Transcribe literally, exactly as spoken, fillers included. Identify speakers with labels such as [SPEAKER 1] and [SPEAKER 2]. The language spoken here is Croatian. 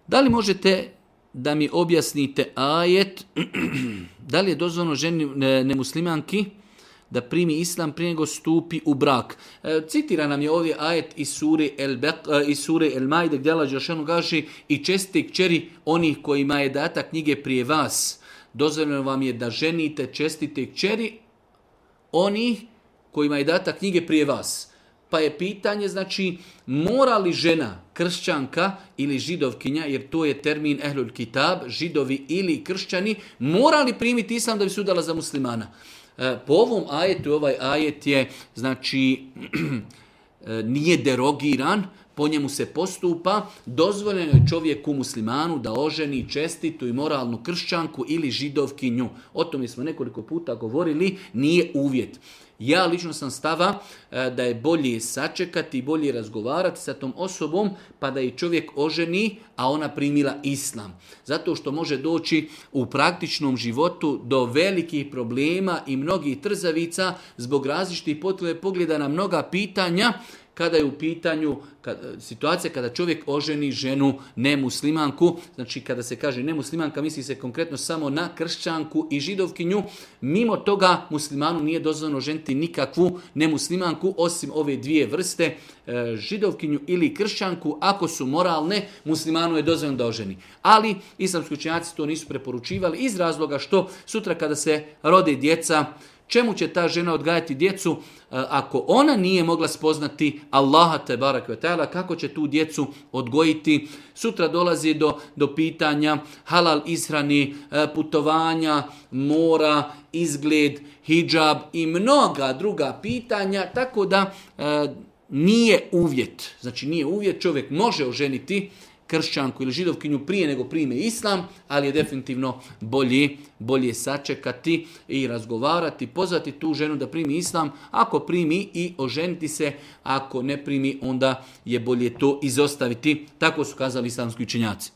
[SPEAKER 1] Da li možete da mi objasnite ajet, da li je dozvoljeno ženi nemuslimanki da primi islam prije nego stupi u brak? E, citira nam je ovdje ajet iz sure El, Bek, iz sure El Majde gdje Allah dželešanu kaže i čestite kćeri onih kojima je data knjige prije vas. Dozvoljeno vam je da ženite čestite kćeri onih kojima je data knjige prije vas. Pa je pitanje, znači, mora li žena, kršćanka ili židovkinja, jer to je termin ehlul kitab, židovi ili kršćani, mora li primiti islam da bi se udala za muslimana? E, po ovom ajetu, ovaj ajet je, znači, nije derogiran, po njemu se postupa, dozvoljeno je čovjeku muslimanu da oženi čestitu i moralnu kršćanku ili židovkinju. O tome smo nekoliko puta govorili, nije uvjet. Ja lično sam stava da je bolje sačekati i bolje razgovarati sa tom osobom pa da i čovjek oženi, a ona primila islam. Zato što može doći u praktičnom životu do velikih problema i mnogih trzavica zbog različitih pogleda na mnoga pitanja, kada je u pitanju kada, situacija kada čovjek oženi ženu nemuslimanku, znači kada se kaže nemuslimanka misli se konkretno samo na kršćanku i židovkinju, mimo toga muslimanu nije dozvoljeno ženiti nikakvu nemuslimanku osim ove dvije vrste, židovkinju ili kršćanku, ako su moralne, muslimanu je dozvoljeno da oženi. Ali islamski učenjaci to nisu preporučivali iz razloga što sutra kada se rode djeca, čemu će ta žena odgajati djecu ako ona nije mogla spoznati Allaha te barek ve taala, kako će tu djecu odgojiti? Sutra dolazi do, do pitanja halal ishrani, putovanja, mora, izgled, hidžab i mnoga druga pitanja, tako da nije uvjet. Znači nije uvjet, čovjek može oženiti kršćanku ili židovkinju prije nego prime islam, ali je definitivno bolje, bolje sačekati i razgovarati, pozvati tu ženu da primi islam, ako primi i oženiti se, ako ne primi onda je bolje to izostaviti. Tako su kazali islamski učenjaci.